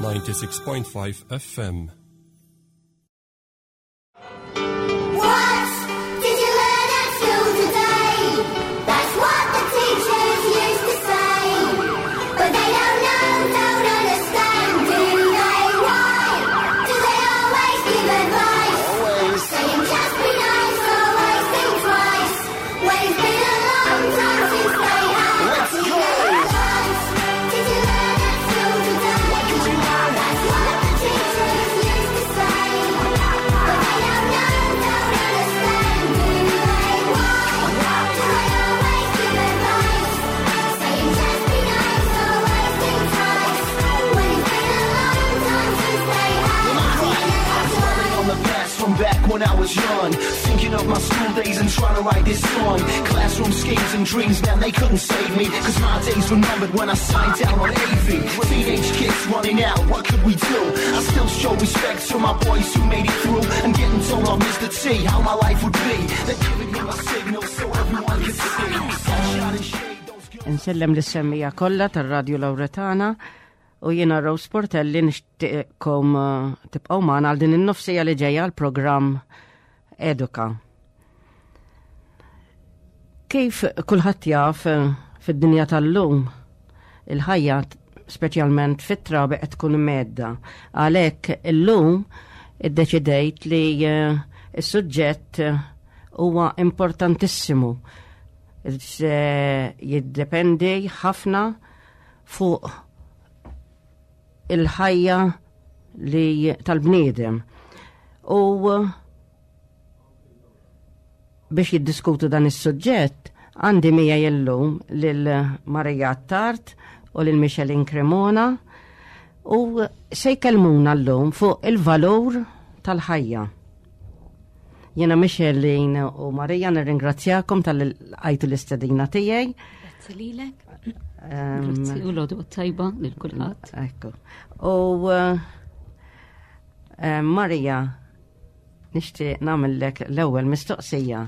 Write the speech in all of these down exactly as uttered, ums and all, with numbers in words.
ninety-six point five F M. What did you learn at school today? That's what the teachers used to say. But they don't know, don't understand, do they? Why do they always give advice? Saying just be nice, always think twice. When it's been a long time since they had. Let's go! What did you learn at school today? That's what the teachers used to say. But they don't know, don't understand, do they? Why do they always give advice? Saying just be nice, always think twice. When it's been a long time since they had. Dwelling on the past from back when I was young. Thinking of my school days and trying to write this song. Classroom schemes and dreams, man, they couldn't save me. 'Cause my days were numbered when I signed down on A V. Teenage kids running out, what could we do? I still show respect to my boys who made it through. And getting told off Mister T how my life would be. They're giving him a signal so everyone could see. Sunshine and shade, those girls. Insellem lis-semmiegħa kollha tar-Radio Lauretana u jiena Rose Portelli, nixtieqkom eh, tibqgħu magħna għal din in-nofs siegħa li ġejja l-programm Eduka. Kif kulħadd jaf, eh, fid-dinja tal-lum il-ħajja, speċjalment fit-trabi, qed tkun mhedda. Għalhekk illum iddeċidejt li eh, is-suġġett eh, huwa importantissimu. Se jiddependi ħafna fuq il-ħajja li tal-bniedem. U biex jiddiskutu dan is-suġġett għandi miegħi llum lil Marija Attard u lil Michelin Cremona u se jkellmuna llum fuq il-valur tal-ħajja. Jena Michelin u Marija nirringrazzjakom talli lqajtu l-istedina tiegħi. Grazzi lilek. Grazzi u l-għodwa t-tajba lil kulħadd. Ekku. U eh, eh, Marija, nixtieq nagħmellek l-ewwel mistoqsija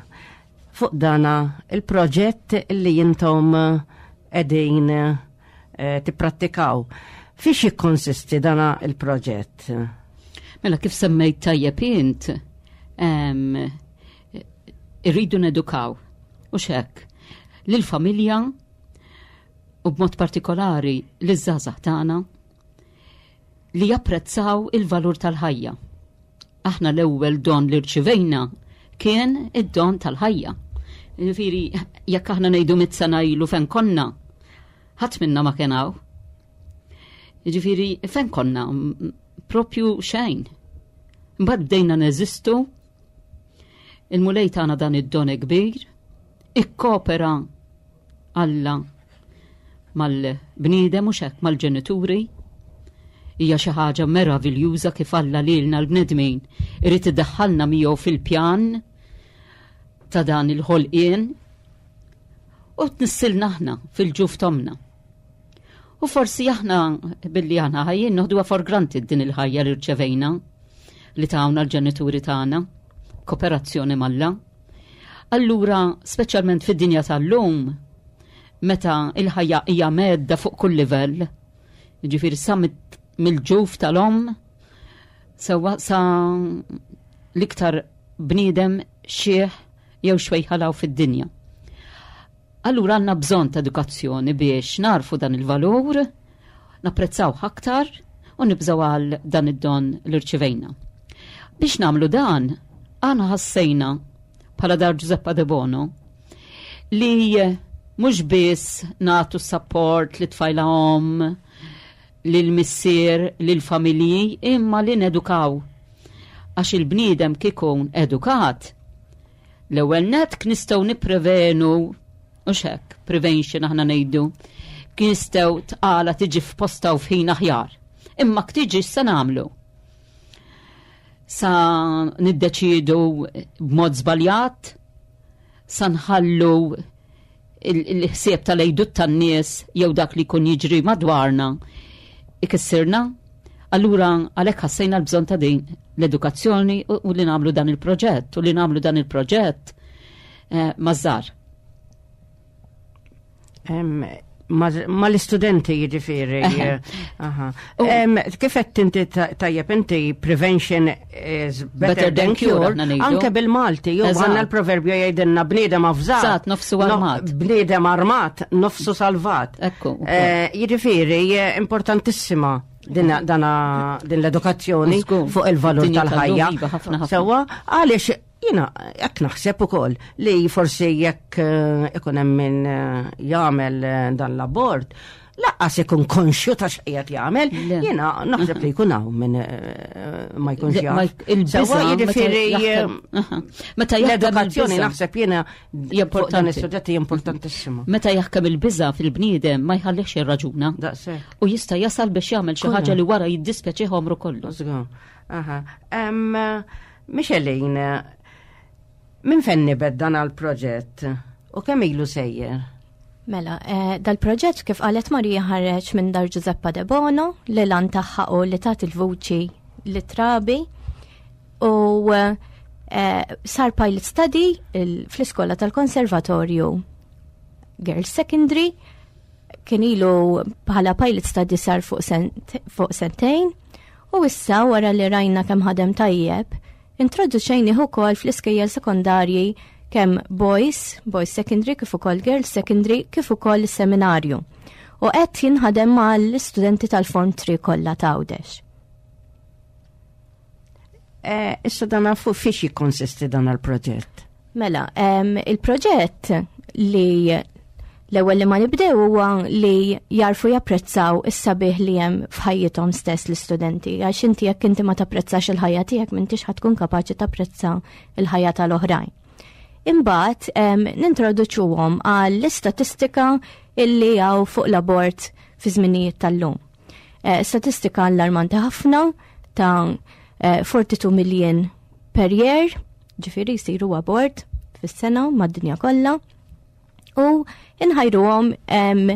fuq dana il-proġett li intom qegħdin eh, tipprattikaw. Fiex jikkonsisti dana il-proġett? Mela, kif semmejt tajjeb int, em, irridu nedukaw u xek lil-familja u b'mod partikolari liż-żgħażagħ tagħna li japprezzaw il-valur tal-ħajja. Aħna l-ewwel don li rċivejna kien id-don tal-ħajja. Ġifieri, jekk aħna ngħidu mitt sena ilu fejn konna, ħadd minna ma kien hawn. Ġifieri, fejn konna? M- Propju xejn. Mbagħad bdejna neżistu, il-Mulej tagħna dan id-don kbir, ikkopera Alla mal-bniedem u xek mal-ġenituri. Hija xi ħaġa meraviljuża kif Alla lilna l-bnedmin irid iddaħħalna miegħu fil-pjan ta' dan il-ħolqien u tnissilna aħna fil-ġuf t'ommna. U forsi aħna billi aħna ħajjin noħduha for granted din il-ħajja li rċevejna li tawna l-ġenituri tagħna, kooperazzjoni m'Alla. Allura, speċjalment fid-dinja tal-lum, meta il-ħajja hija mhedda fuq kull livell, ġifieri sa mit- mill-ġuf tal-om, sewa sa l-iktar bniedem xieħ jew xwejħalaw fid-dinja. Allura għandna bżonn ta' edukazzjoni biex narfu dan il-valur, napprezzaw aktar u nibżaw għal dan id-don li rċivejna. Biex nagħmlu dan, aħna ħassejna bħala Dar Giuseppa De Bono li mhux biss nagħtu support li tfajla om, lil missier, lil familji, imma li nedukaw. Għax il-bniedem kikun edukat, l-ewwel net nistgħu nipprevenu u xek, prevention aħna ngħidu, kien nistgħu tqala tiġi f'posta u f'ħin aħjar. Imma ktiġi se nagħmlu? Sa niddeċidu b'mod żbaljat, sa nħallu il-ħsieb tal-għajdut tan-nies jew dak li jkun jiġri madwarna ikissirna. Allura għalhekk ħassejna l-bżonn ta' din l-edukazzjoni u u li nagħmlu dan il-proġett u li nagħmlu dan il-proġett eh, maż-żgħar. Em, Ma l-istudenti jiġifieri. Aha. Em, Kif qed inti ta- tajjeb inti, "Prevention is better than cure", aħna ngħidu. Anke bil-Malti, jew Eżatt. għandna l-proverbju jgħidilna "Bniedem avżat Avżat, nofsu armat." No, bniedem armat, nofsu salvat." Ekku, ukoll. Eh, Jiġifieri, eh, importantissima din dana- din l-edukazzjoni Żgur. fuq il-valur Dinja tal-ħajja. tal-lum, iva, ħafna, ħafna. Sewwa, għaliex jiena jekk naħseb ukoll li forsi jekk eh, ikun hemm min eh, jagħmel eh, dan l-abort, lanqas ikun konxju ta' x'qiegħed jagħmel, Le. jiena naħseb li jkun hawn min eh, ma jkunx Le, ma jaf. il-biża' Sewwa, meta jiġifieri jaħkem- eh, Aha. Meta jaħkem l-edukazzjoni il-biża' naħseb jiena Hija fuq dan importanti. is-suġġett hija importantissima. Meta jaħkem il-biża fil-bniedem ma jħallix jirraġuna. Daqshekk. U jista' jasal biex jagħmel xi Kollha. ħaġa li wara jiddispjaċih għomru kollu. Żgur. Aha. Em, Micheline, minn fejn nibed dan għal-proġett u kemm ilu sejjer? Mela, eh, dal-proġett, kif qalet Marija, ħareġ minn Dar Giuseppa de Bono li l-għan tagħha u li tagħti l-vuċi lit-trabi u eh, sar pilot study il- fl-iskola tal-Konservatorju Girls Secondary. Kien ilu bħala pilot study sar fuq sent, fuq sentejn u issa, wara li rajna kemm ħadem tajjeb, introduċejnih ukoll fl-iskejjel sekondarji, kemm boys, boys secondary, kif ukoll girls secondary, kif ukoll is-seminarju. U qed jinħadem mal-istudenti tal-Form three kollha ta' Għawdex. Eh, Issa dan fuq fiex jikkonsisti dan il-proġett? Mela, em, il-proġett li l-ewwel li ma nibdew huwa li jarfu japprezzaw is-sabiħ li hemm f'ħajjithom stess l-istudenti. Għax inti jekk inti ma tapprezzax il-ħajja tiegħek, m'intix ħa tkun kapaċi tapprezza il-ħajja tal-oħrajn. Imbagħad em, nintroduċuhom għall-istatistika illi hawn fuq l-abort fi żminijiet tal-lum. Eh, statistika allarmanti ħafna ta' eh, forty-two million per year, ġifieri jsiru abort fis-sena mad-dinja kollha. U inħajruhom em,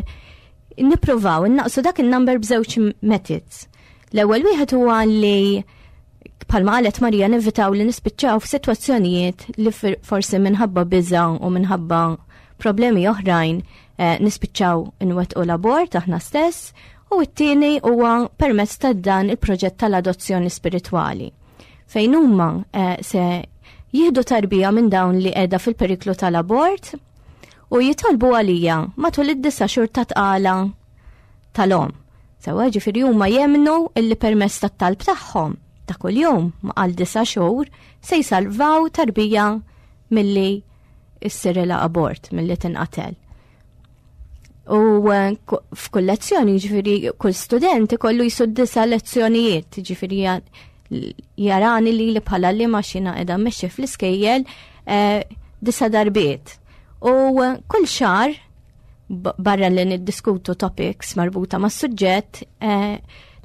nippruvaw innaqsu dak il-number b'żewġ methods. L-ewwel wieħed huwa li, bħalma qalet Marija, nevitaw li nispiċċaw f'sitwazzjonijiet li fir- forsi minħabba biża u minħabba problemi oħrajn eh, nispiċċaw inwettqu l-abort aħna stess, u t-tieni huwa permezz ta' dan il-proġett tal-adozzjoni spiritwali, fejn huma eh, se jieħdu tarbija minn dawn li qiegħda fil-periklu tal-abort u jitolbu għalija matul id-disa' xhur ta' tqala tal-omm. Sewwa, ġifieri huma jemnu illi permezz tat-talb tagħhom ta' kuljum għal disa' xhur se jsalvaw tarbija milli issirilha abort, milli tinqatel. U eh, ku- f'kull lezzjoni, ġifieri kull student ikollu jisud disa' lezzjonijiet, ġifieri ja- jarani li li bħala li maċina edha mmexxi fl-iskejjel eh, disa' darbiet. U eh, kull xahar, b- barra li niddiskutu topics marbuta ma' suġġett, eh,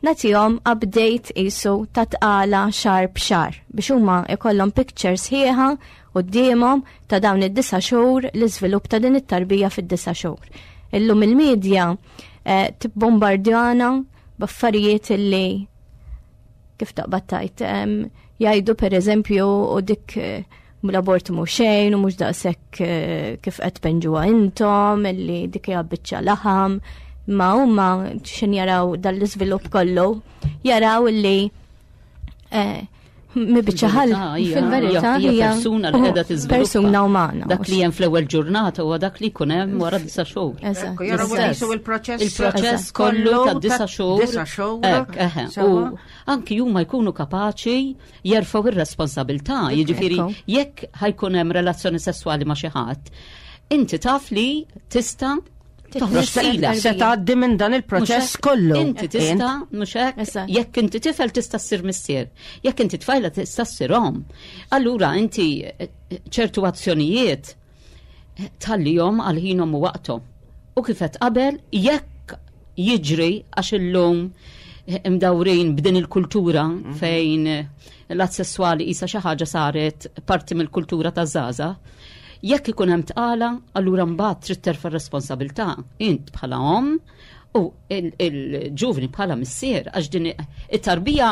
nagħtihom update isu ta' tqala xahar b'xahar biex huma ikollhom pictures sħiħa quddiemhom ta' dawn id-disa' xhur, l-iżvilupp ta' din it-tarbija fid-disa' xhur. Illum il-medja eh, tibbombardjana b'affarijiet illi, kif taqbad tajt, em, jgħidu per eżempju u dik eh, l-abort mhu xejn u mhux daqshekk eh, kif qed tpinġuha intom, illi dik hija biċċa laħam, ma huma xin jaraw dal-iżvilupp kollu, jaraw illi eh, mi biċċa ħal fil-verità hija hija persuna li qiegħda tiżviluppa. Persuna umana. Dak li hemm fl-ewwel ġurnata huwa dak li jkun hemm wara disa' xhur. Eżatt. Ekku, jaraw L-istess. jisu il-proċess Il-proċess kollu ta' disa' xhur. Disa' xhur. Ek, eħe. U Sewwa. anki huma jkunu kapaċi jerfgħu ir-responsabilità. Jiġifieri Ekku. jekk ħa jkun hemm relazzjoni sesswali ma' xi ħadd, inti taf li tista' toħroġ tqila. Se tgħaddi minn dan il-proċess Mhux hekk? kollu. Inti tista', mhux hekk, Eżatt. jekk inti tifel tista' ssir missier, jekk inti tfajla tista' ssir omm. Allura inti eh, ċertu azzjonijiet eh, tħallihom għal ħinhom u waqthom. U kif qed qabel, jekk jiġri, għax illum eh, imdawrin b'din il-kultura fejn eh, l-att sessuali isa xi ħaġa saret parti mill-kultura ta' żgħażagħ, jekk ikun hemm tqala, allura mbagħad trid terfa' responsabilità int bħala omm u il- il-ġuvni bħala missier, għax din it-tarbija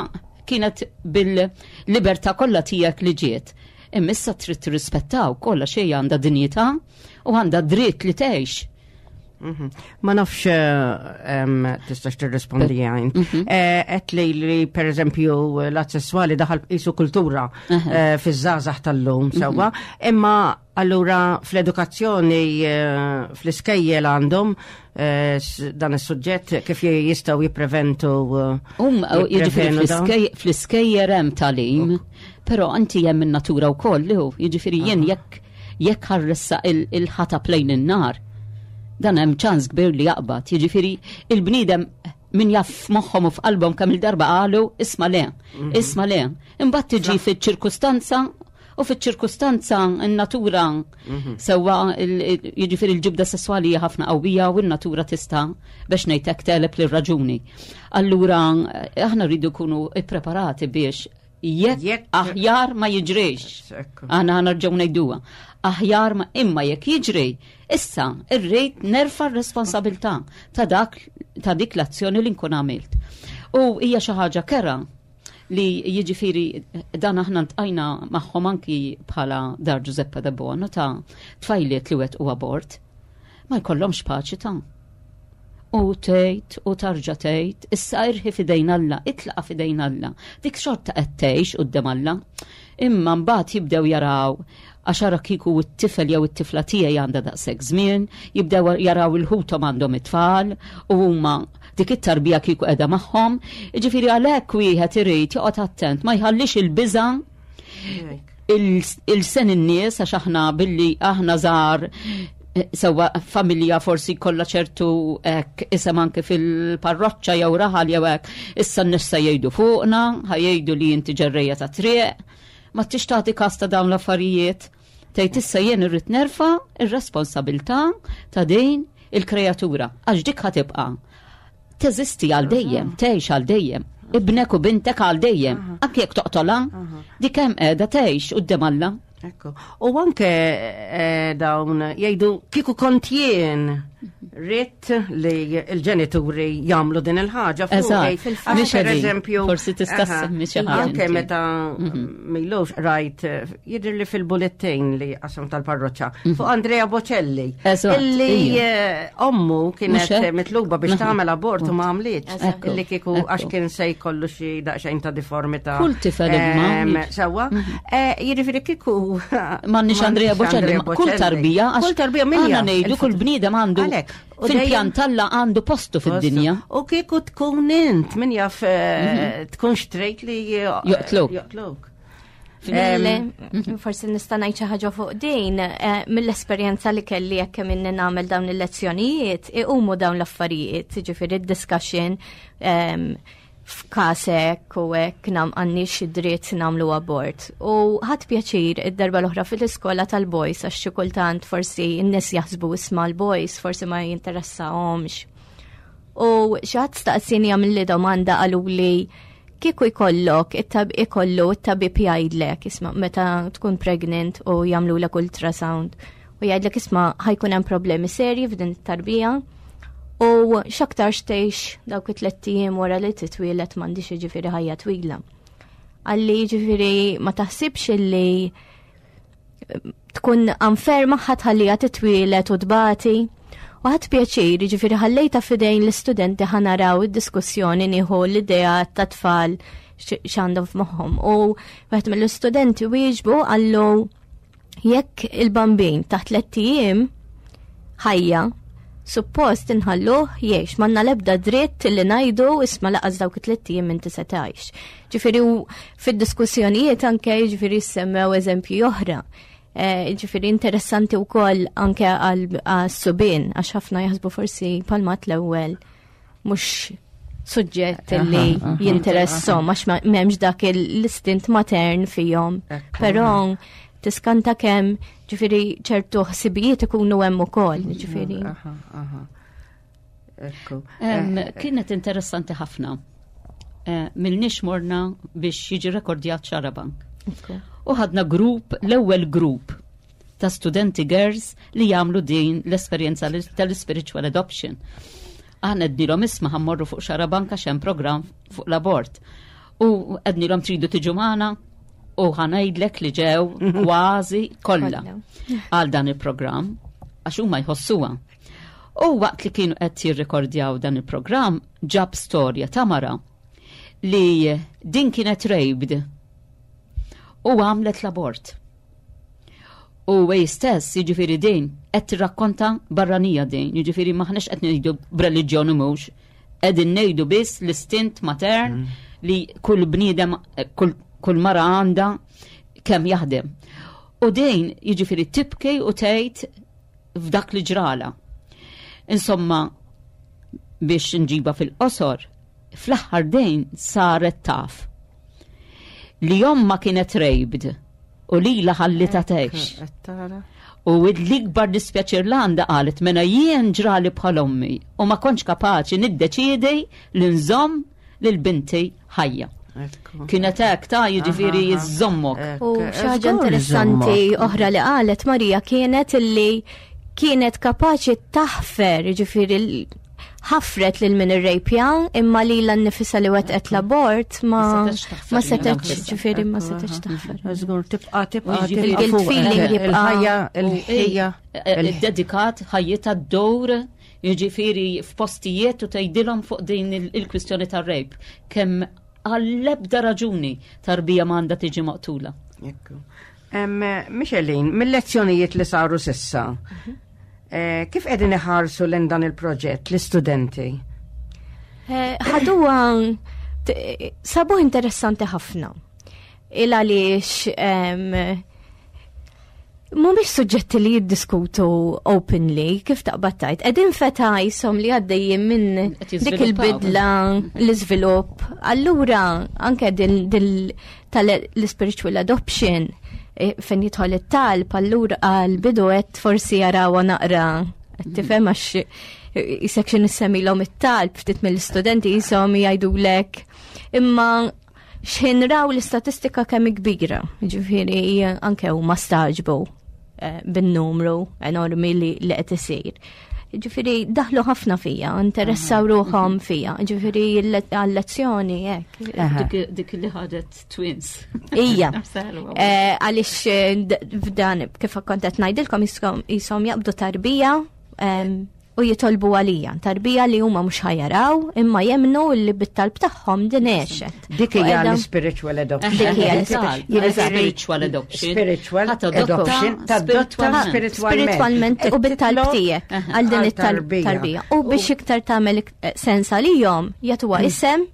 kienet bil-libertà kollha tiegħek li ġiet. Imma issa trid tirrispettaw kollha xejn, għandha dinjità u għandha dritt li tgħix. Mhm. Ma nafx eh, tistax tirrispondi għajn. Mhm. Qed li li per eżempju l-att sessuali daħal qisu kultura eh, fiż-żgħażagħ tal-lum Mhm. sewwa, imma allura fl-edukazzjoni eh, fl-iskejjel għandhom eh, s- dan is-suġġett kif jistgħu jippreventu eh, Um, jiġifieri jipprevenu dawn? fl-iskejjer hemm tagħlim, però anti hemm in-natura wkoll li hu, jiġifieri jien jekk jekk ħarressa il-ħatab lejn in-nar, dan hemm ċans kbir li jaqbad. Jiġifieri il-bniedem min jaf moħħhom u f'qalbhom kemm il-darba qalu isma' le, isma' le. Imbagħad tiġi fiċ-ċirkustanza u fiċ-ċirkustanza n-natura sewwa il- il- jiġifieri l-ġibda sesswali hija ħafna qawwija u n-natura tista' biex ngħidlek teleb lir-raġuni. Allura eh, aħna rridu nkunu ippreparati biex jekk Jekk- aħjar ma jiġrix. Ekku. Aħna nerġgħu ngħiduha. Aħjar ma imma jekk jiġri, issa irrid nerfa' r-responsabilità ta' dak ta' dik l-azzjoni li nkun għamilt. U hija xi ħaġa kera li jiġifieri dan aħna ntqajna magħhom anki bħala Dar Giuseppe de Bono ta' tfajliet li wettqu abort. Ma jkollhomx paċi ta' U tgħid u tarġa' tgħid, issa irħi fidejn Alla, itlaqa fidejn Alla. Dik xorta qed tgħix quddiem Alla. Imma mbagħad jibdew jaraw għax ara kieku t-tifel jew it-tifla tiegħi għandha daqshekk żmien, jibdew jaraw il-ħuthom għandhom it-tfal u huma dik it-tarbija kieku qiegħda magħhom. Jiġifieri għalhekk wieħed irid joqgħod attent ma jħallix il-biża' il-sen in-nies għax aħna billi aħna żgħar eh, sewwa familja forsi kollha ċertu hekk isem anke fil-parroċċa jew raħal jew hekk, issa n-nies se jgħidu fuqna, ħa jgħidu li inti ġerrejja ta' triq, ma tix tagħti kas ta' dawn l-affarijiet. Tgħid issa jien irrid nerfa' ir-responsabilità ta' din il-kreatura għax dik ħa tibqa' teżisti għal dejjem, tgħix għal dejjem. Ibnek u bintek għal dejjem. Anke jekk toqtolha, dik hemm qiegħda tgħix quddiem Alla. Ekku. U anke eh, dawn jgħidu kieku kont jien ritt li l-ġenituri jagħmlu din il-ħaġa fuqi. Eżatt. Għax Mhix per għedi. eżempju, Forsi tista' aha, ssemmi xi ħaġa Anke inti. meta milux rajt eh, jidher li fil-bulletin li qasam tal-parroċċa fuq Andrea Bocelli. Eżatt, Illi ija. eh, ommu Mhux kienet hekk? mitluba biex Aha. tagħmel abort u ma għamlitx. Ekku, Illi kieku ekku. għax kien se jkollu xi daqsxejn ta' deformità. Kull tifel imma. Em, Sewwa. Eh, Jiġifieri kieku M'għandniex Andrea Bocelli, ma kull tarbija, għax Kull tarbija minja. Aħna ngħidu kull bniedem għandu Għalhekk, u fil-pjan dejjem- talla għandu postu fid-dinja. U kieku tkun int, min jaf eh, tkun xtrejt li eh, Joqtluk. Joqtluk. Mill- Forsi nista' ngħid xi ħaġa fuq din, eh, mill-esperjenza li kelli jekk kemm inni nagħmel dawn il-lezzjonijiet, iqumu dawn l-affarijiet, jiġifieri id-discussion em, f'każ hekk u hekk nam għandniex id-dritt nagħmlu abort. U ħadt pjaċir id-darba l-oħra fil-iskola tal-boys għax xi kultant forsi n-nies jaħsbu isma' l-boys, forsi ma jinteressahomx. U xi ħadd staqsini għamilli domanda qaluli kieku jkollok, it-tab ikollu it-tabib jgħidlek, isma' meta tkun pregnant u jagħmlulek ultrasound u jgħidlek isma' ħa jkun hemm problemi serji f'din it-tarbija u x'aktarx tgħix dawk it-tliet ijiem wara li titwielet m'għandix jiġifieri ħajja twila. Qalli jiġifieri ma taħsibx illi tkun unfair magħha tħalliha titwielet u tbati. U ħadt pjaċir, ġifieri ħallejta fidejn l-istudenti ħa naraw id-diskussjoni nieħu l-idea ta' tfal x'għandhom f'moħħom. U wieħed mill-istudenti wieġbu qallu jekk il-bambin taħt tlett ijiem ħajja, suppost inħalluh jgħix, m'għandna l-ebda dritt li ngħidu isma' lanqas dawk it-tlett ijiem inti se tgħix. Ġifieri u fid-diskussjonijiet anke ġifieri semmew eżempji oħra. Eh, Ġifieri interessanti wkoll anke għal-subien, għax ħafna jaħsbu forsi palmat l-ewwel mhux suġġett li jinteressom għax ma- m'hemmx dak l-istint matern fihom. Ekku. Però tiskanta kemm ġifieri ċertu ħsibijiet ikunu hemm ukoll, ġifieri. Aha, aha. Ekku. Em, Kienet interessanti ħafna. Eh, Milniex morna biex jiġi rekordjat Xarabank. U ħadna grupp, l-ewwel grupp ta' studenti girls li jagħmlu din l-esperjenza tal-spiritual adoption. Aħna għednielhom isma' ħa mmorru fuq Xarabank għax hemm programm fuq l-abort. U għednielhom tridu tiġu magħna u ħa ngħidlek li ġew kważi kollha Kollha. għal dan il-programm għax huma jħossuha. U waqt li kienu qed jirrekordjaw dan il-programm ġab storja ta' mara li din kienet raped u għamlet l-abort. U għej stess, jiġifieri din, qed tirrakkonta barranija din, jiġifieri maħniex qed ngħidu b'reliġjoni mhux, qegħdin ngħidu biss l-istint matern li kull bniedem, kull, kull mara għandha kemm jaħdem. U din jiġifieri tibki u tgħid f'dak li ġrala. Insomma, biex nġiba fil-qosor, fl-aħħar din saret taf li omma kienet raped u li la ħallita tgħix. Qed tara. U l-ikbar dispjaċir l għanda qalet mena jien ġrali bħal ommi u ma kontx kapaċi niddeċiedi li nżomm lil binti ħajja. Ekku. Kienet hekk ta' jiġifieri Aha, aha. jiżommok. U Ekk, xi ħaġa żgur interessanti iżommok. oħra li qalet Marija kienet illi kienet kapaċi taħfer, ġifieri l- ħafret lil min irrejpja imma li l-nifisa li wetqet l-abort ma Ma setgħetx taħfer ma lilha setgħetx nfisha. ġifieri ma Ekku, setgħetx aha. taħfer. Żgur tibqa' tibqa' Jiġifieri tibqa' il-guilt fuq. feeling jibqa'. Il-ħajja, il-ħajja. Eh, Dedikat ħajjitha d-dowr jiġifieri f'postijiet u tgħidilhom fuq din il- il-kwistjoni tar-rape. Kemm għall-ebda raġuni tarbija m'għandha tiġi maqtula. Ekku. Em, Michelin, mill-lezzjonijiet li saru sissa, eh, kif qegħdin iħarsu lejn dan il-proġett l-istudenti? Eh, ħaduha t- sabuh interessanti ħafna. Il għaliex em, mhumiex suġġetti li jiddiskutu openly, kif taqbad tajt. Qegħdin feta jisom li għaddejjin minn Qed dik jiżviluppaw. il-bidla, l-iżvilupp. Allura, anke din din tal-spiritual adoption, eh, fejn jidħol it-talb, allura għal-bidu qed forsi jarawha naqra. Qed tifhem għax eh, jisek xi nissemmilhom it-talb ftit mill-istudenti jisom jgħidulek. Imma xħin raw l-istatistika kemm kbira, ġifieri anke huma staġbu eh, bin-numru enormi li li qed isir. Ġifieri daħlu ħafna fija, interessaw ruħhom fija, ġifieri għal-lezzjoni hekk. Aha. Dik, dik li ħadet twins. Ija. Sewa. Eh, Għaliex eh, d- f'dan kif kont qed ngħidilkom jisom jisom jaqbdu tarbija em, u jitolbu għalija, tarbija li huma mhux ħajaraw imma jemnu li bit-talb tagħhom din għexet. Dik U hija qiegħda- l-spiritual adoption. Dik hija Jiġifieri- Spiritual adoption. Spiritual Ħa tadotta adoption. Tadotta spiritualment. spiritualment. Spiritualment u bit-talb Titlob tiegħek għal din għal it-talb tarbija. tarbija. U biex iktar tagħmel ik- eh, sens għalihom jagħtuha isem,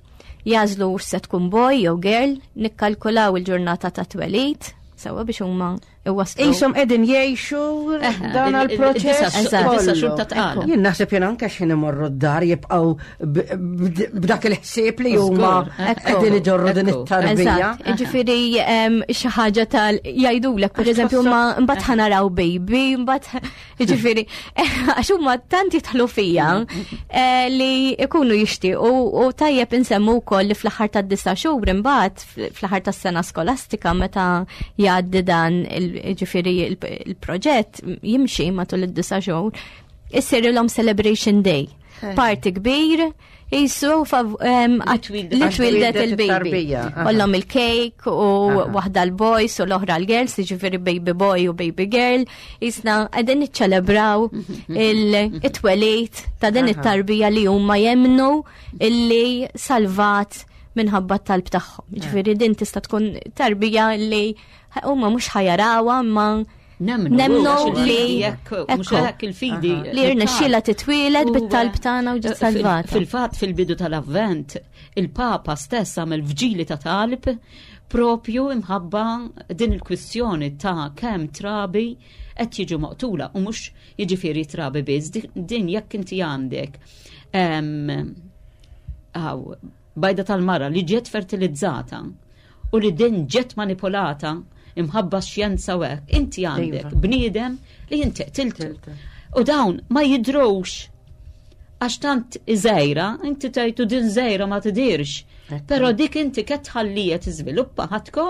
jażlu se tkun boy jew girl, nikkalkulaw il-ġurnata ta' twelid, sewa biex huma iwasslu. Isom edin jiexu dan il- il- għal-proċess. il-disa' kollu. disa' xhur ta' tqala. Jien naħseb jien anke x'ħin imorru d-dar jibqgħu b- b- b'dak il-ħsieb li huma Żgur, ekku. qegħdin iġorru din Ekku. it-tarbija. Eżatt, ġifieri em, xi ħaġa tal jgħidulek pereżempju ma mbagħad ħanaraw baby, mbagħad ġifieri għax huma tant jidħlu fija eh, li ikunu jixtiequ u tajjeb insemmu wkoll li fl-aħħar tad-disa' xhur imbagħad fl-aħħar tas-sena skolastika meta jgħaddi dan il- ġifieri il- il-proġett jimxi matul id-disa' xhur issirilhom celebration day. Party kbir, jisu fav- em, Li twildet- li twildet twildet il-baby. it-tarbija, aha. Kollhom il-cake u Aha. waħda l-boys u l-oħra l-girls, jiġifieri baby boy u baby girl. Jisna qegħdin niċċelebraw il-twelid ta' din Aha. it-tarbija li huma jemnu illi salvat minħabba t-talb tagħhom. Jiġifieri din tista' tkun tarbija li huma mhux ħajarawha imma Nemnu, Nemnu għax il-fidi li- jekk, mhux ekku. hekk il-fidi. li rnexxiela titwieled U, bit-talb tagħna u ġiet eh, fil- salvata. Fil-fatt fil-bidu tal-avvent, il-Papa stess għamel vġili ta' talb propju imħabba din il-kwistjoni ta' kemm trabi qed jiġu maqtula u mhux jiġifieri trabi biss, di- din jekk inti għandek em, għaw, bajda tal-mara li ġiet fertilizzata u li din ġiet manipolata imħabba xjenza u hekk, inti għandek Iva. bniedem li inti qtiltu. Qtiltu. U dawn ma jidrux għax tant iżejra, inti tajtu din żejra ma tidirx. Ekku. Però dik inti ket tħallija tiżviluppa ħatko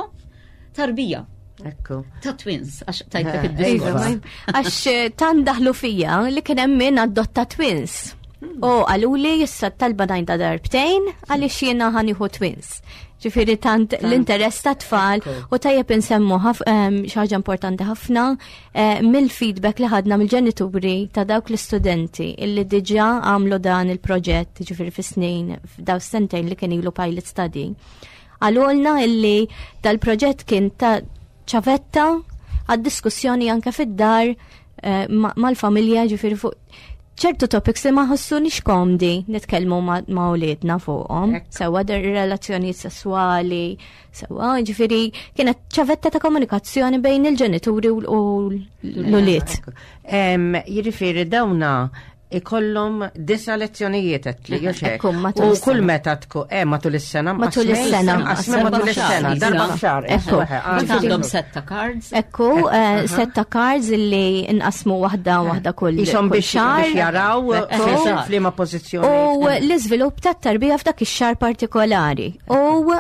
tarbija Ekku. ta' twins, għax tajtek Eh, id-diskors. Iva, Għax eh, tan daħlu fija li kien hemm min adotta twins. U qaluli issa talba ngħidha darbtejn għaliex jiena ħa nieħu twins. Ġifieri tant l-interess ta' tfal u tajjeb insemmu xi ħaġa importanti ħafna eh, mill-feedback li ħadna mill-ġenituri ta' dawk l-istudenti illi diġà għamlu dan il-proġett, ġifieri fi snin, f'daw sentejn li kien ilu pilot study. Qalulna illi dal-proġett kien ta' ċavetta għad-diskussjoni anke fid-dar eh, mal-familja, ġifieri fuq ċertu topics li ma ħossunix komdi nitkellmu ma' uliedna fuqhom, sewa relazzjoni sessuali, sewa ġifieri kienet ċavetta ta' komunikazzjoni bejn il-ġenituri u l-ulied. Jiġifieri dawna ikollhom disa lezzjonijiet għedtli, U kull meta tkun eh matul is-sena. Matul is-sena. Matul is-sena, darba f'xahar. Ekku. Għandhom setta cards. Ekku, eh, setta cards illi nqasmu waħda waħda kull Ishom biex jaraw f'liema pożizzjoni. U l-iżvilupp tat-tarbija f'dak ix-xahar partikolari. U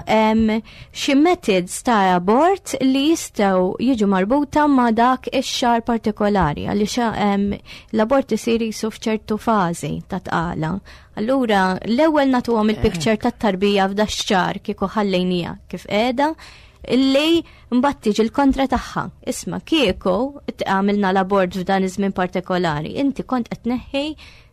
xi methods ta' abort li jistgħu jiġu marbuta ma' dak ix-xahar partikolari, għaliex l-abort isir jisu f'ċertu fażi ta' tqala. Allura, l-ewwel nagħtuhom il-picture tat-tarbija f'da x-xahar kieku ħallejnija kif qiegħda, illi mbagħad tiġi l-kontra tagħha. Isma' kieku għamilna l-abort f'dan iż-żmien partikolari, inti kont qed tneħħi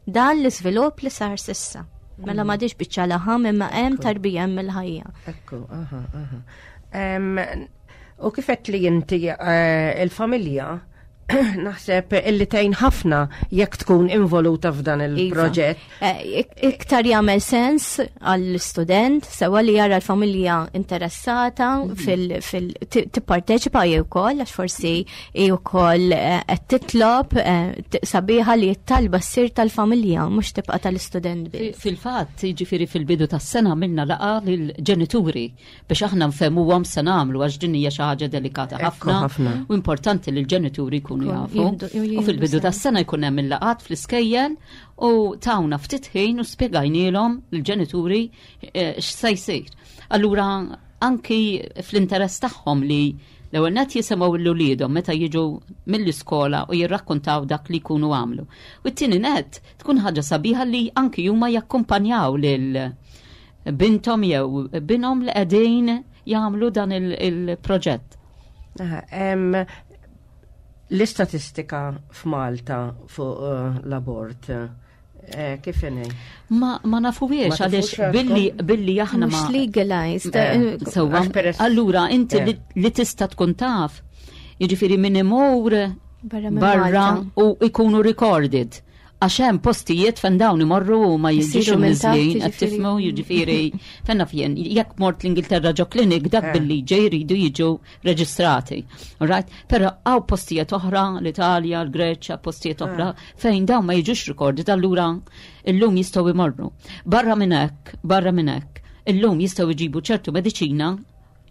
dan l-iżvilupp li sar s'issa. Mela m'għadix biċċa laħam imma hemm tarbija, hemm il-ħajja. Ekku, aha, aha. U kif li inti eh, il-familja naħseb illi tgħin ħafna jekk tkun involuta f'dan Iva. il-proġett. Eh, iktar jagħmel sens għall-student sewa li jara l-familja interessata mhm. fil tipparteċipa jew ukoll, għax forsi hi wkoll eh, qed titlob eh, sabiħa li t-talba ssir tal-familja, mhux tibqa' tal-istudent biss. Fil-fatt, jiġifieri fil-bidu tas-sena minna laqgħa lill-ġenituri biex aħna nfehmuhom se nagħmlu, għax din hija xi ħaġa delikata ħafna u importanti li l-ġenituri jkunu jafu. U fil-bidu tas-sena jkun hemm il-laqgħat fl-iskejjel u tawna ftit ħin u spjegajnielhom l-ġenituri eh, x'se jsir. Allura anki fl-interess tagħhom li l-ewwel net jisimgħu lil uliedhom meta jiġu mill-iskola u jirrakkontaw dak li jkunu għamlu. U t-tieni net tkun ħaġa sabiħa li anki huma jakkumpanjaw lil bintom jew binhom li qegħdin jagħmlu dan il-proġett. L-istatistika f'Malta fuq eh, l-abort eh, kif inhi? Ma, ma nafuhiex għaliex billi billi aħna ma legalized. Eh, sewwa, allura inti li tista' tkun taf, jiġifieri min imur barra u ikunu recorded. Għax hemm postijiet fejn dawn imorru u ma jiġux imniżlin, qed tifhmu, jiġifieri fejn naf jien, jekk mort l-Ingilterra ġo klinik, dak eh. billi ġej jridu jiġu reġistrati. Right? Però hawn postijiet oħra, l-Italja, l-Greċja, postijiet oħra eh. fejn dawn ma jiġux recorded, allura illum jistgħu imorru. Barra minn hekk, barra minn hekk, illum jistgħu jġibu ċertu mediċina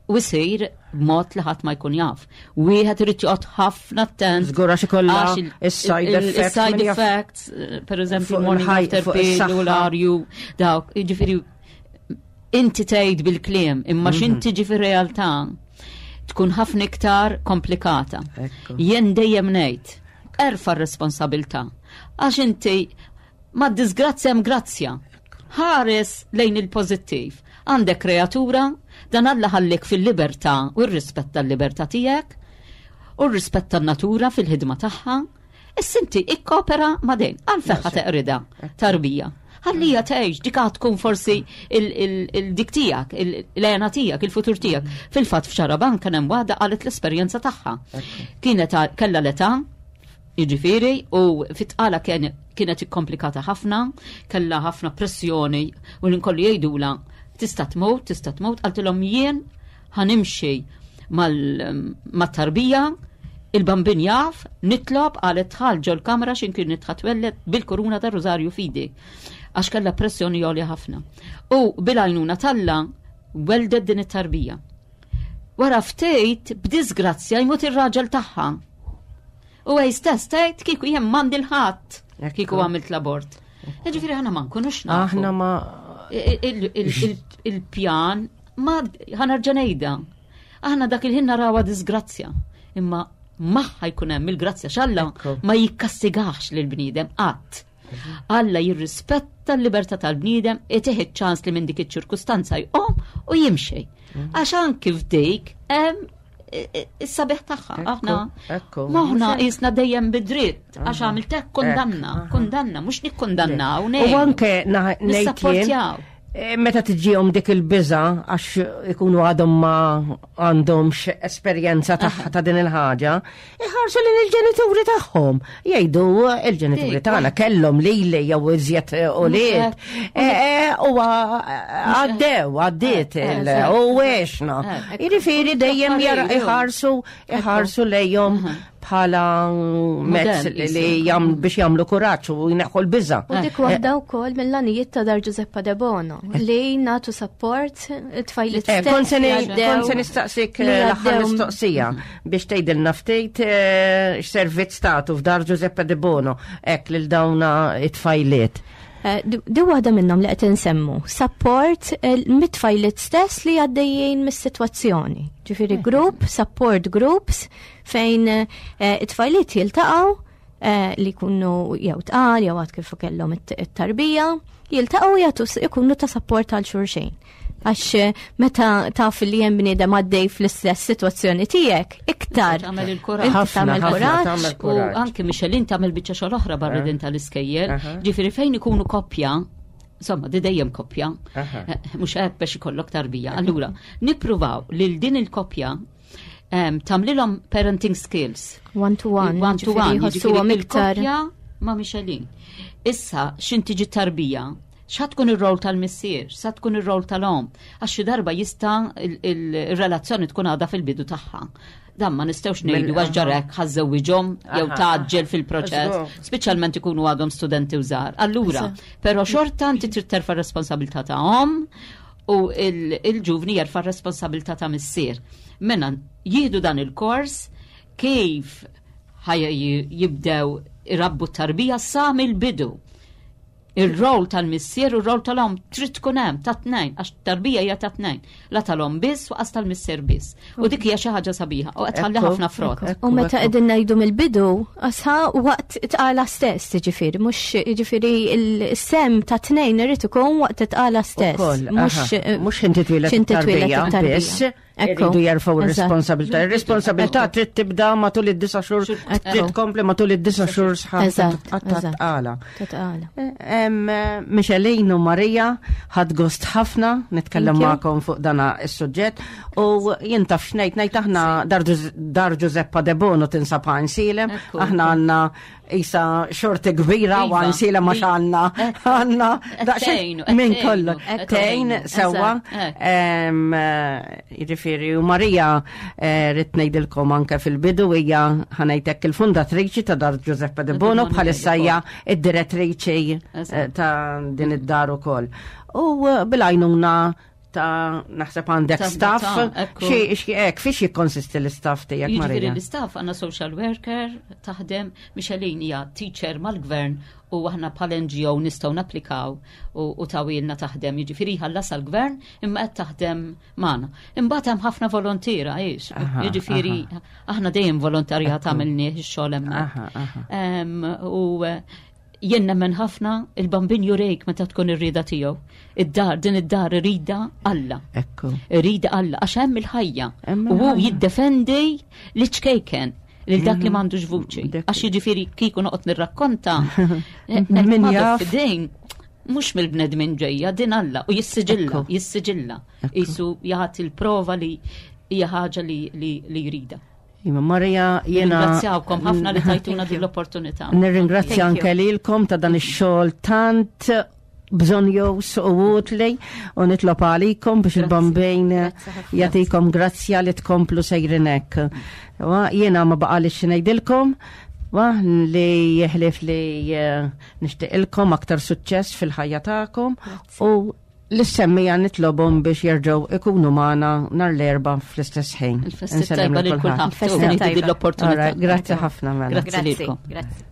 u jsir b'mod li ħadd ma jkun jaf. Wieħed irid joqgħod ħafna attent. Żgur, għax ikollha is-side effects. Is-side effects, per eżempju, morning after pill u l-arju, dawk, jiġifieri inti tgħid bil-kliem, imma mhm. x'inti tiġi fir-realtà tkun ħafna iktar komplikata. Jien dejjem ngħid, erfa' r-responsabilità. Għax inti ma' disgrazzja hemm grazzja. Ħares lejn il-pożittiv. Għandek kreatura, dan Alla ħallik fil-libertà u r-rispett tal-libertà tiegħek u r-rispett tan-natura fil-ħidma tagħha. Issa inti ikkopera ma' dejn, għalfejn ħa teqridha tarbija? Ħallija tgħix, dik tkun forsi il-dik tiegħek, l-għena tiegħek, il-futur tiegħek. Fil-fatt f'Xarabank kien hemm waħda qalet l-esperjenza tagħha. Kienet kellha l-età, jiġifieri, u fit-tqala kienet ikkomplikata ħafna, kellha ħafna pressjoni u l-inkollu jgħidula tista' tmut, tista' tmut, qaltilhom jien ħa nimxi mat-tarbija, il-bambin jaf, nitlob, qalet dħalt ġol-kamra x'ħin kienet ħa twelled bil-kuruna ta' Rosario f'idi. Għax kellha pressjoni għolja ħafna. U bil-għajnuna t'Alla weldet din it-tarbija. Wara ftit, b'disgrazzja, jmut ir-raġel tagħha. U għaj stess tgħid kieku jien m'għandi 'l ħadd kieku għamilt l-abort. Ġifieri aħna ma nkunux nafu. Aħna ma Il-pjan ma ħa nerġa' ngħidha. Aħna dak il-ħin narawha disgrazzja. Imma magħha jkun hemm il-grazzja, x'Alla ma jikkastigax lil bniedem qatt. Alla jirrispetta l-libertà tal-bniedem itih iċ-ċans li minn dik iċ-ċirkustanza jqum u jimxi. Għax anki f'dik hemm is-sabiħ tagħha. Aħna Ekku. moħna qisna dejjem bidritt għax għamilt hekk kundanna, kundanna, mhux nikkundannaw, U anke ngħid jien, Nissapportjaw. eh, meta tiġihom dik il-biża għax ikunu għadhom ma għandhomx esperjenza tagħha ta' din il-ħaġa, iħarsu lil il-ġenituri tagħhom. Jgħidu il-ġenituri Dik, tagħna kellhom lili jew iżjed ulied. Eh, eh, U għaddew, għaddiet il- Eh, u għexna. Eh, Jiġifieri dejjem jara Affarijiet, iħarsu iħarsu lejhom bħala mezz Modell, li qisu. jam biex jagħmlu kuraġġ u jneħħu l-biża. U dik waħda wkoll mill-għanijiet ta' Dar Giuseppa De Bono li nagħtu support it-tfajliet Eh, stess Kont se li ni- għaddew- kont se nistaqsik li eh, l-aħħar għaddew- mistoqsija biex tgħidilna ftit eh, x'servizz tagħtu f'Dar Giuseppe De Bono hekk lil dawna it-tfajliet. Eh, Di di waħda minnhom li qed insemmu, support eh, mit-tfajliet stess li għaddejjin mis-sitwazzjoni. Ġifieri group, support groups fejn eh, it-tfajliet jiltaqgħu eh, li jkunu jew tqal jew għad kif kellhom it- it-tarbija, jiltaqgħu jagħtu s- ikunu ta' support għal xulxin. Għax eh, meta taf li hemm bniedem għaddej fl-istess sitwazzjoni tiegħek, iktar. Tagħmel il-kuraġġ. Inti Ħafna, tagħmel ħafna, kuraġġ. tagħmel U kuraġġ. anki Michelin tagħmel biċċa xogħol oħra barra din tal-iskejjel. Aha. Ġifieri fejn ikunu koppja, insomma, di dejjem koppja, Aha. eh, mhux hekk biex ikollok tarbija. Allura, nippruvaw lil din il-koppja em, tagħmlilhom parenting skills. One to one. One to one, ġifieri jħossuhom jiġifieri iktar. il-koppja ma' Michelin. Issa, x'ħin tiġi tarbija, xa tkun ir-rol tal-missier, sa tkun ir-rol tal-om, għax xi darba jista' il- il- il-relazzjoni tkun għadha fil-bidu tagħha. Dan ma nistgħux ngħidu għax ġarek ħa żżewwiġhom jew Aha, tgħaġġel fil-proċess, Żgur. speċjalment ikunu għadhom studenti u żgħar. Allura, però xorta inti trid terfa' responsabilità ta' om u il- il-ġuvni jerfa' responsabilità ta' missier. Mena jieħdu dan il-kors kif ħaj jibdew irabbu t-tarbija sa mill-bidu. Ir-rol tal-missier u r-rol tal-om trid tkun hemm ta' tnejn għax tarbija hija ta' tnejn. La tal-om biss u qas tal-missier biss. U dik hija xi ħaġa sabiħa u qed tħalli Ekku, ħafna frott. ekku. U meta qegħdin ngħidu mill-bidu, asha waqt tqala stess, jiġifieri, mhux jiġifieri il-sem ta' tnejn irid ikun waqt tqala stess. Ukoll, Mhux aha, mhux inti twieled x'inti twieled it-tarbija it-tarbija. biss, Ekku, iridu jerfgħu eżatt. r-responsabilità. Ir-responsabilità trid tibda matul id-disa xhur, trid tkompli matul id-disa xhur sħaħ Eżatt, ta' eżatt. tqala. Ta' tqala. Em, Michelin u Marija ħadt gost ħafna nitkellem Thank you. magħkom fuq dana is-suġġett u jien taf x'ngħid ngħid aħna Dar Gius- Dar Giuseppa De Bono tinsab Għajnsielem, Ekku. aħna għandna isa xorti kbira u Iva. Għajnsielem għax għandna Ekku. għandna daqsxejn Qed tgħinu, minn qed kollu. tgħinu, qed Tgħin tgħinu. sewwa. Eżatt, Em, eh, Jiġifieri u Marija eh, rrid ngħidilkom anke fil-bidu hija ħa ngħidlek il-fundatriċi ta' Dar Giuseppe De De Bono Bono bħalissa hija id-direttriċi eh, Eżatt. ta' din id-dar ukoll. U eh, bil-għajnuna ta' naħseb għandek Ta' staff, ta' ekku. xi xi hekk fiex jikkonsisti l-istaff tiegħek Jiġifieri Marija? l-istaff għandna social worker taħdem, Michelin hija teacher mal-gvern u aħna bħal N G O nistgħu napplikaw u, u tawilna taħdem. Jiġifieri ħallas għall-gvern imma qed taħdem magħna. Imbagħad hemm ħafna volontiera għiex. Aha, Jiġifieri aħna dejjem volontarjat għamilnieh ix-xogħol hemmhekk. Aha, aha. Em, U eh, jien nemmen ħafna il-Bambin jurejk meta tkun ir-rieda tiegħu. Id-dar, din id-dar irida Alla. Ekku. Irida Alla, għax hemm il-ħajja. Hemm U hu il-ħajja. jiddefendi li ċkejken lil dak li m'għandux vuċi. Dak- Għax jiġifieri kieku noqgħod nirrakkonta. Min jaf. Fidejn mhux mill-bnedmin ġejja, din Alla u jissiġilla, Ekku. jissiġilla. Isu jagħti l-prova li hija ħaġa li li li jrida. Iva Marija jiena Ringrazzjawkom ħafna li tajtuna din l-opportunità. Nirringrazzja Thank you. anke lilkom ta' dan ix-xogħol tant bżonjus u utli u nitlob għalikom biex il-Bambin Grazzi ħafna. jagħtikom grazzja li tkomplu sejrin hekk. Wa, jiena ma baqali ngħidilkom wa, li jeħlif li eh, nixtieqilkom aktar suċċess fil-ħajja tagħkom u lis-semmiegħa nitlobhom biex jerġgħu ikunu magħna nhar l-Erbgħa fl-istess ħin. Il-festi Insellem tajba lil lil kulħadd. kulħadd. Il-festi U nieħdu tajba. din l-opportunità. Alright, grazzi ħafna mela. Grazzi lilkom. Grazzi.